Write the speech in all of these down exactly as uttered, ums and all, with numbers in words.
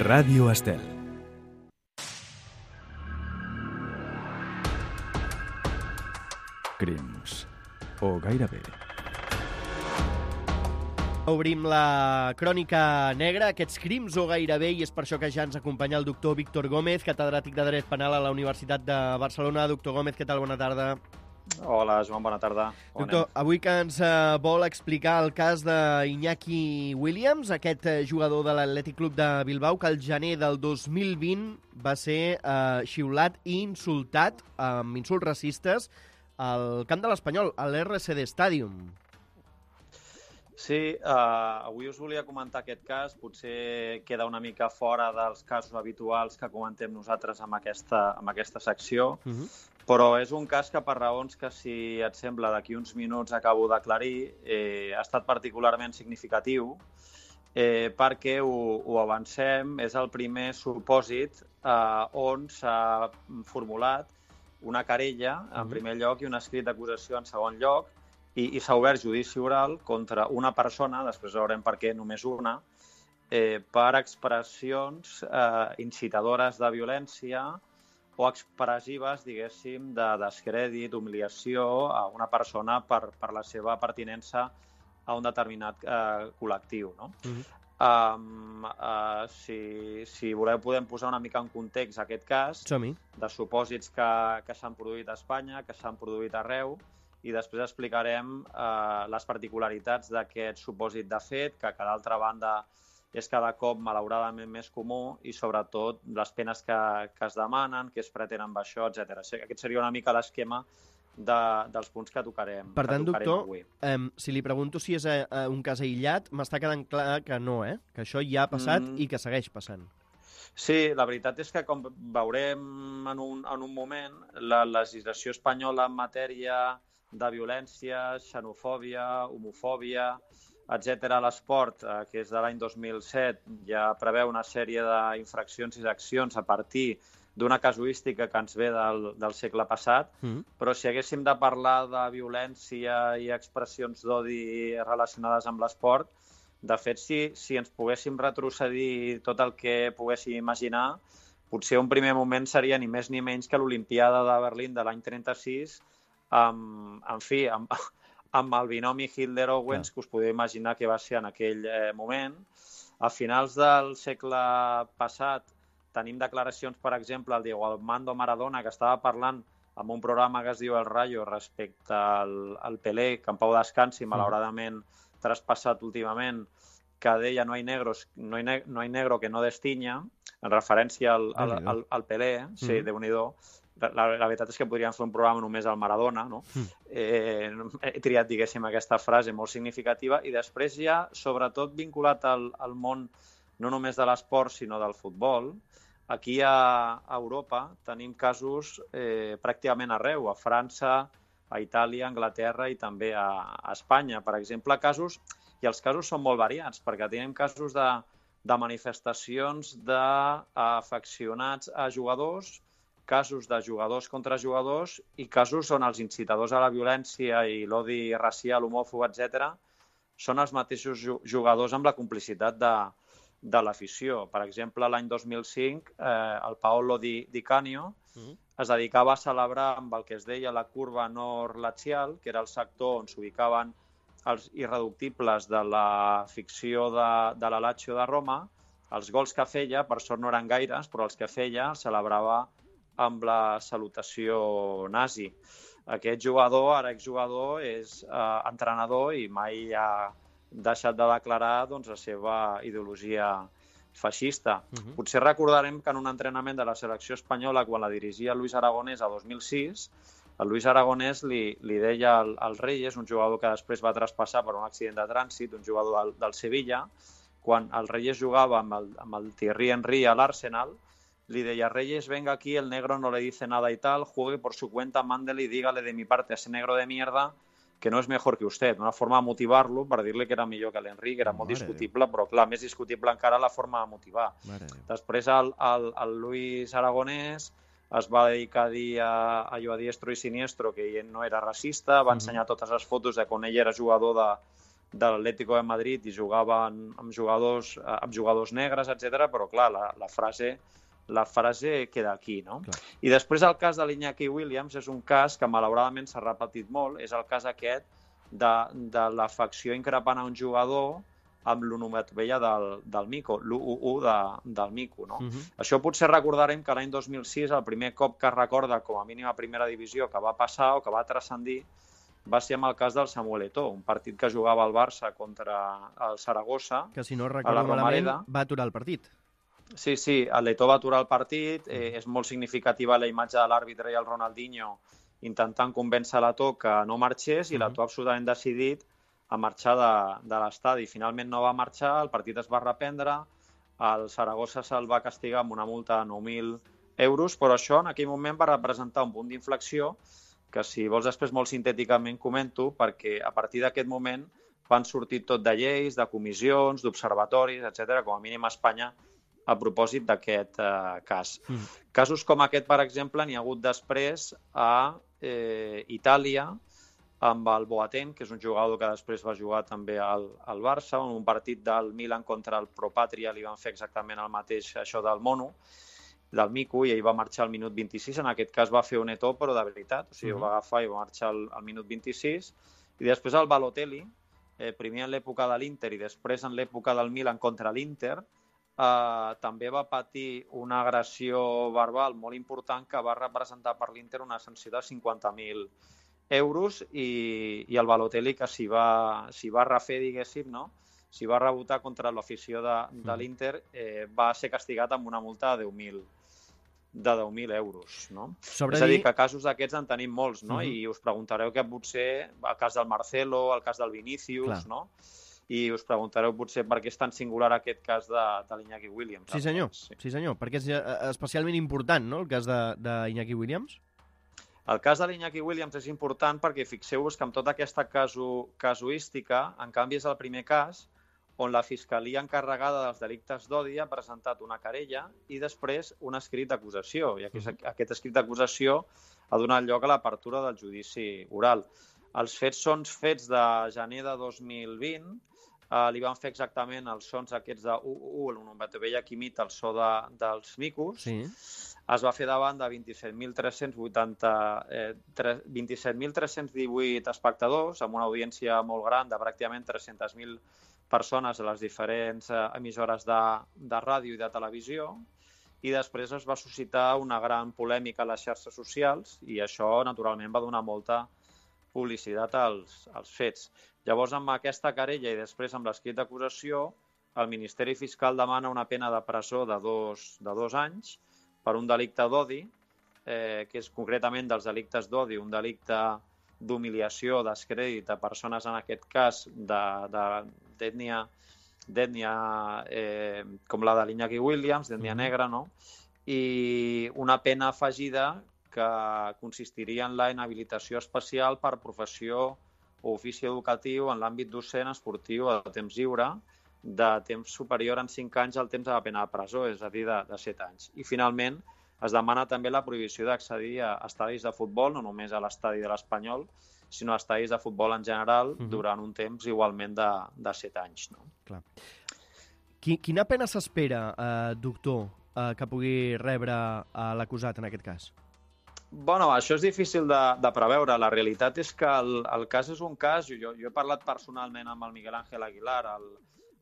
Ràdio Estel. Crims, o gairebé. Obrim la crònica negra, aquests crims o gairebé, i és per això que ja ens acompanya el doctor Víctor Gómez, catedràtic de Dret Penal a la Universitat de Barcelona. Doctor Gómez, què tal? Bona tarda. Hola, Joan, bona tarda. Com Doctor, anem? avui que ens uh, vol explicar el cas d'Iñaki Williams, aquest uh, jugador de l'Atlètic Club de Bilbao, que el gener del dos mil vint va ser uh, xiulat i insultat amb insults racistes al camp de l'Espanyol, a l'R C D Stadium. Sí, uh, avui us volia comentar aquest cas. Potser queda una mica fora dels casos habituals que comentem nosaltres amb aquesta, amb aquesta secció, uh-huh. Però és un cas que, per raons que, si et sembla, d'aquí uns minuts acabo d'aclarir, eh, ha estat particularment significatiu eh, perquè ho, ho avancem. És el primer supòsit eh, on s'ha formulat una querella, en uh-huh. primer lloc, i un escrit d'acusació en segon lloc, i, i s'ha obert judici oral contra una persona, després veurem per què només una, eh, per expressions eh, incitadores de violència o expressives, diguéssim, de descrèdit, humiliació a una persona per, per la seva pertinença a un determinat eh, col·lectiu, no? Uh-huh. Um, uh, si, si voleu podem posar una mica en context aquest cas de supòsits que, que s'han produït a Espanya, que s'han produït arreu, i després explicarem uh, les particularitats d'aquest supòsit de fet, que, que d'altra banda és cada cop malauradament més comú, i sobretot les penes que, que es demanen, que es pretenen amb això, etcètera. Aquest seria una mica l'esquema de, dels punts que tocarem, per tant, que tocarem doctor, avui. Eh, si li pregunto si és eh, un cas aïllat, m'està quedant clar que no, eh? Que això ja ha passat mm. i que segueix passant. Sí, la veritat és que, com veurem en un, en un moment, la legislació espanyola en matèria de violència, xenofòbia, homofòbia, etcètera, a l'esport, eh, que és de l'any dos mil set, ja preveu una sèrie d'infraccions i d'accions a partir d'una casuística que ens ve del, del segle passat, mm. però si haguéssim de parlar de violència i expressions d'odi relacionades amb l'esport, de fet, si, si ens poguéssim retrocedir tot el que poguéssim imaginar, potser un primer moment seria ni més ni menys que l'Olimpiada de Berlín de l'any trenta-sis, amb, en fi, amb, amb el binomi Hitler-Owens, que us podeu imaginar que va ser en aquell eh, moment. A finals del segle passat tenim declaracions, per exemple, el Diego Armando Maradona, que estava parlant en un programa que es diu El Rayo respecte al, al Pelé, que en pau descansi, malauradament traspassat últimament, que deia no hay negros, no hay, ne no hay negro que no destinya, en referència al, al, al, al Pelé, sí, mm. Déu-n'hi-do. La, la veritat és que podríem fer un programa només al Maradona, no? Mm. Eh, he triat, diguéssim, aquesta frase molt significativa, i després ja, sobretot vinculat al, al món no només de l'esport, sinó del futbol. Aquí a, a Europa tenim casos eh, pràcticament arreu, a França, a Itàlia, a Anglaterra i també a, a Espanya. Per exemple, casos, i els casos són molt variats, perquè tenim casos de, de manifestacions d'afeccionats a jugadors, casos de jugadors contra jugadors i casos on els incitadors a la violència i l'odi racial, homòfob, etcètera, són els mateixos jugadors amb la complicitat de, de l'afició. Per exemple, l'any dos mil cinc, eh, el Paolo Di, Di Canio mm. es dedicava a celebrar amb el que es deia la curva nord-lazial, que era el sector on s'ubicaven els irreductibles de la ficció de, de la Lazio de Roma. Els gols que feia, per sort no eren gaires, però els que feia els celebrava amb la salutació nazi. Aquest jugador, ara exjugador, és eh, entrenador i mai ha deixat de declarar doncs, la seva ideologia feixista. Uh-huh. Potser recordarem que en un entrenament de la selecció espanyola, quan la dirigia Luis Aragonès a dos mil sis, el Luis Aragonès li, li deia al, al Reyes, un jugador que després va traspassar per un accident de trànsit, un jugador del, del Sevilla, quan el Reyes jugava amb el, amb el Thierry Henry a l'Arsenal, le decía, Reyes, venga aquí, el negro no le dice nada y tal, juegue por su cuenta, mándele y dígale de mi parte a ese negro de mierda que no és mejor que usted. Una forma de motivar-lo per dir-li que era millor que l'Henry, que era molt discutible, però clar, més discutible encara la forma de motivar. Després el, el, el Luis Aragonès es va dedicar a dir a, a allò a diestro i siniestro que ell no era racista, va ensenyar totes les fotos de quan ell era jugador de, de l'Atlético de Madrid i jugaven amb jugadors, amb jugadors negres, etcètera. Però clar, la, la frase la frase queda aquí, no? Clar. I després el cas de l'Iñaki Williams és un cas que malauradament s'ha repetit molt, és el cas aquest de, de l'afecció increpant a un jugador amb l'onomatopeia del, del mico, l'u u u de, del mico, no? Uh-huh. Això potser recordarem que l'any dos mil sis, el primer cop que es recorda com a mínim a primera divisió que va passar o que va transcendir va ser amb el cas del Samuel Eto'o, un partit que jugava al Barça contra el Saragossa. Que si no recordo malament va aturar el partit. Sí, sí, l'Eto'o va aturar el partit, eh, és molt significativa la imatge de l'àrbitre i el Ronaldinho intentant convèncer l'Eto'o que no marxés i uh-huh. l'Eto'o absolutament decidit a marxar de, de l'estadi. Finalment no va marxar, el partit es va reprendre, el Saragossa se'l va castigar amb una multa de nou mil euros, però això en aquell moment va representar un punt d'inflexió que si vols després molt sintèticament comento, perquè a partir d'aquest moment van sortir tot de lleis, de comissions, d'observatoris, etcètera, com a mínim a Espanya, a propòsit d'aquest eh, cas. Mm. Casos com aquest, per exemple, n'hi ha hagut després a eh, Itàlia, amb el Boateng, que és un jugador que després va jugar també al, al Barça, en un partit del Milan contra el Pro Patria li van fer exactament el mateix, això del mono, del mico, i ell va marxar al minut vint-i-sis. En aquest cas va fer un Eto'o, però de veritat. O sigui, mm-hmm. va agafar i va marxar al, al minut vint-i-sis. I després el Balotelli, eh, primer en l'època de l'Inter i després en l'època del Milan contra l'Inter, Uh, també va patir una agressió verbal molt important que va representar per l'Inter una sanció de cinquanta mil euros i, i el Balotelli, que s'hi va, s'hi va refer, diguéssim, no? S'hi va rebotar contra l'afició de, de l'Inter, eh, va ser castigat amb una multa de deu mil de deu mil euros, no? Sobre és a dir, dir... que casos d'aquests en tenim molts, no? Uh-huh. I us preguntareu que potser el cas del Marcelo, el cas del Vinícius, Clar. no? I us preguntareu potser per què és tan singular aquest cas de, de l'Iñaki Williams. Sí senyor, sí. sí senyor, perquè és especialment important, no?, el cas d'Iñaki Williams. El cas de l'Iñaki Williams és important perquè fixeu-vos que amb tota aquesta casu, casuística, en canvi és el primer cas on la Fiscalia encarregada dels delictes d'odi ha presentat una querella i després un escrit d'acusació. I aquest, aquest escrit d'acusació ha donat lloc a l'apertura del judici oral. Els fets són fets de gener de dos mil vint, Uh, li van fer exactament els sons aquests de u u u, l'onomatopeia que imita el so de, dels micos. Sí. Es va fer davant de vint-i-set mil tres-cents vuitanta, eh, vint-i-set mil tres-cents divuit espectadors, amb una audiència molt gran de pràcticament tres-centes mil persones a les diferents eh, emissores de, de ràdio i de televisió, i després es va suscitar una gran polèmica a les xarxes socials i això, naturalment, va donar molta publicitat als, als fets. Llavors, amb aquesta querella i després amb l'escrit d'acusació, el Ministeri Fiscal demana una pena de presó de dos, de dos anys per un delicte d'odi, eh, que és concretament dels delictes d'odi, un delicte d'humiliació, descrèdit a persones, en aquest cas, d'ètnia d'ètnia eh, com la de l'Iñaki Williams, d'ètnia negra, no? I una pena afegida que consistiria en la inhabilitació especial per professió o ofici educatiu en l'àmbit docent, esportiu o de temps lliure, de temps superior en cinc anys al temps de la pena de presó, és a dir, de, de set anys. I finalment es demana també la prohibició d'accedir a estadis de futbol, no només a l'estadi de l'Espanyol, sinó a estadis de futbol en general, uh-huh. durant un temps igualment de, de set anys. No? Clar. Quina pena s'espera, eh, doctor, eh, que pugui rebre eh, l'acusat en aquest cas? Bueno, això és difícil de, de preveure. La realitat és que el, el cas és un cas. Jo, jo he parlat personalment amb el Miguel Ángel Aguilar, el,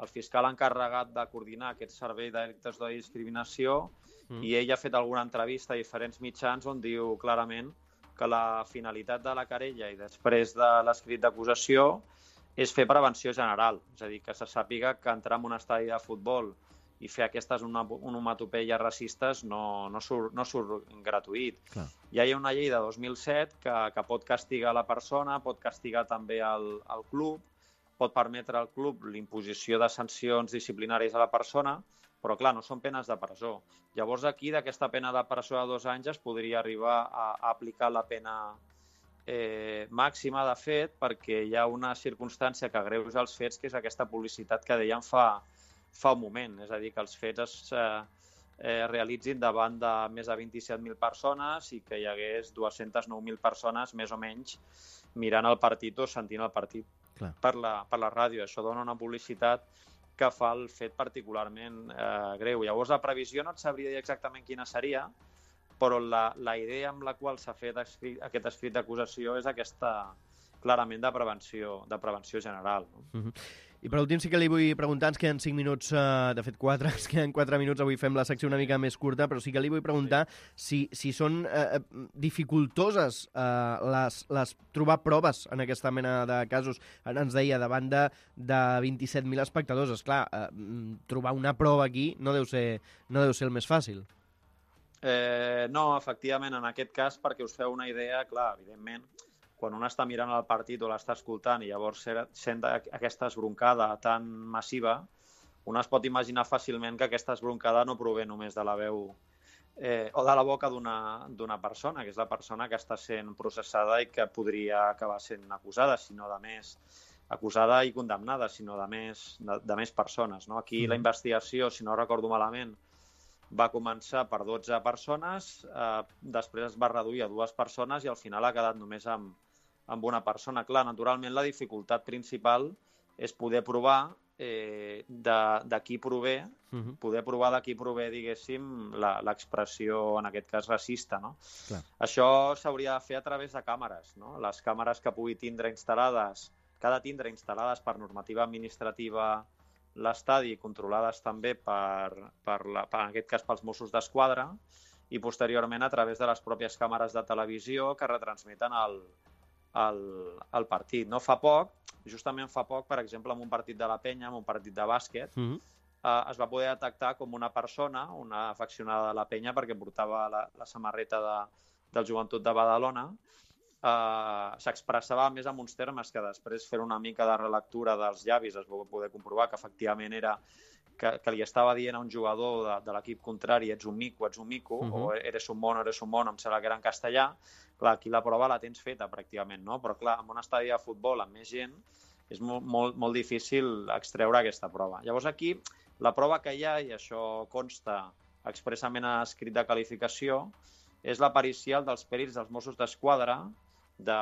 el fiscal encarregat de coordinar aquest servei de delictes d'odi i discriminació, mm. i ell ha fet alguna entrevista a diferents mitjans on diu clarament que la finalitat de la querella i després de l'escrit d'acusació és fer prevenció general. És a dir, que se sàpiga que entrar en un estadi de futbol i fer aquestes onomatopeies racistes no, no, surt, no surt gratuït. Clar. Ja hi ha una llei de dos mil set que, que pot castigar la persona, pot castigar també el, el club, pot permetre al club l'imposició de sancions disciplinàries a la persona, però clar, no són penes de presó. Llavors aquí, d'aquesta pena de presó de dos anys, es podria arribar a, a aplicar la pena eh, màxima, de fet, perquè hi ha una circumstància que agreuja els fets, que és aquesta publicitat que dèiem fa fa un moment, és a dir, que els fets es eh, eh, realitzin davant de més de vint-i-set mil persones i que hi hagués dues-centes nou mil persones, més o menys, mirant el partit o sentint el partit. per la, per la ràdio. Això dona una publicitat que fa el fet particularment eh, greu. Llavors, la previsió no et sabria dir exactament quina seria, però la, la idea amb la qual s'ha fet escrit, aquest escrit d'acusació és aquesta clarament de prevenció, de prevenció general. No? Uh-huh. I per últim sí que li vull preguntar, ens queden cinc minuts, uh, de fet quatre, ens queden quatre minuts, avui fem la secció una mica més curta, però sí que li vull preguntar sí. si, si són uh, dificultoses uh, les, les trobar proves en aquesta mena de casos. Ara ens deia, davant de, de vint-i-set mil espectadors, esclar, uh, trobar una prova aquí no deu ser, no deu ser el més fàcil. Eh, no, efectivament, en aquest cas, perquè us feu una idea, clar, evidentment, quan un està mirant el partit o l'està escoltant i llavors sent aquesta esbroncada tan massiva, un es pot imaginar fàcilment que aquesta esbroncada no prové només de la veu eh, o de la boca d'una persona, que és la persona que està sent processada i que podria acabar sent acusada, sinó de més acusada i condemnada, sinó de més, de, de més persones. No? Aquí mm. la investigació, si no recordo malament, va començar per dotze persones, eh, després es va reduir a dues persones i al final ha quedat només amb, amb una persona. Clar, naturalment la dificultat principal és poder provar eh, de, de qui prové, uh-huh. poder provar de qui prové, diguéssim, l'expressió, en aquest cas, racista. No? Clar. Això s'hauria de fer a través de càmeres. No? Les càmeres que pugui tindre instal·lades, que ha de tindre instal·lades per normativa administrativa l'estadi, controlades també per, per, la, per, en aquest cas, pels Mossos d'Esquadra, i posteriorment a través de les pròpies càmeres de televisió que retransmeten el, el, el partit. No fa poc, justament fa poc, per exemple, en un partit de la Penya, en un partit de bàsquet, mm-hmm. eh, es va poder detectar com una persona, una afeccionada de la Penya, perquè portava la, la samarreta de, del Joventut de Badalona, Uh, s'expressava més en uns termes que després fer una mica de relectura dels llavis es va poder comprovar que efectivament era que, que li estava dient a un jugador de, de l'equip contrari ets un mico, ets un mico, uh-huh. o eres un mono, eres un mono, em sembla que era en castellà. Clar, aquí la prova la tens feta pràcticament, no? Però clar, en un estadi de futbol amb més gent és molt, molt, molt difícil extreure aquesta prova. Llavors aquí la prova que hi ha, i això consta expressament a escrit de qualificació, és la pericial dels pèrits dels Mossos d'Esquadra, de,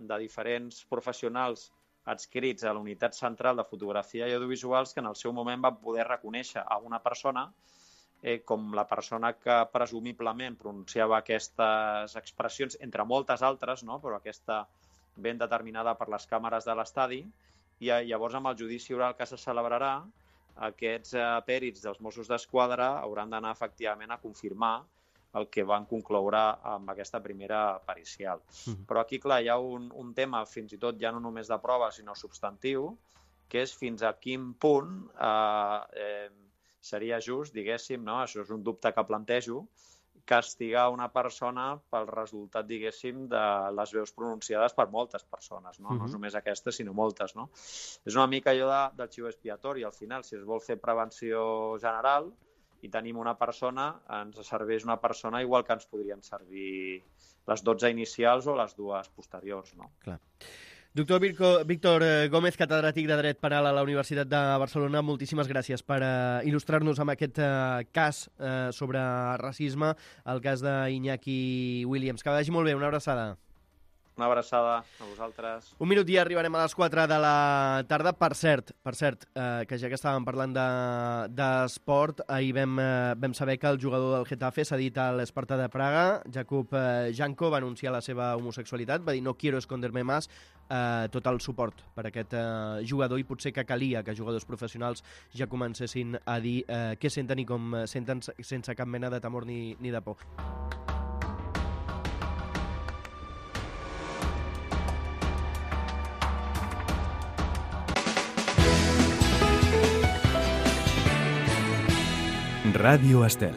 de diferents professionals adscrits a la unitat central de fotografia i audiovisuals que en el seu moment van poder reconèixer a una persona eh, com la persona que presumiblement pronunciava aquestes expressions, entre moltes altres, no? Però aquesta ben determinada per les càmeres de l'estadi, i llavors amb el judici oral que se celebrarà, aquests eh, pèrits dels Mossos d'Esquadra hauran d'anar efectivament a confirmar el que van concloure amb aquesta primera pericial. Mm. Però aquí, clar, hi ha un, un tema, fins i tot ja no només de prova, sinó substantiu, que és fins a quin punt eh, eh, seria just, diguéssim, no? Això és un dubte que plantejo, castigar una persona pel resultat, diguéssim, de les veus pronunciades per moltes persones, no? Mm-hmm. No és només aquestes, sinó moltes, no? És una mica allò de, del xiu expiatori, al final, si es vol fer prevenció general, i tenim una persona, ens serveix una persona igual que ens podrien servir les dotze inicials o les dues posteriors, no? Clar. Doctor Víctor Gómez, catedràtic de Dret Penal a la Universitat de Barcelona, moltíssimes gràcies per uh, il·lustrar-nos amb aquest uh, cas uh, sobre racisme, el cas d'Iñaki Williams. Que vagi molt bé, una abraçada. Una abraçada a vosaltres. Un minut i arribarem a les quatre de la tarda. Per cert, per cert eh, que ja que estàvem parlant d'esport, de, ahir vam, eh, vam saber que el jugador del Getafe s'ha dit a l'Esparta de Praga, Jakub eh, Janko, va anunciar la seva homosexualitat, va dir no quiero esconderme más, eh, tot el suport per aquest eh, jugador, i potser que calia que jugadors professionals ja comencessin a dir eh, què senten i com senten sense cap mena de temor ni, ni de por. Ràdio Estel.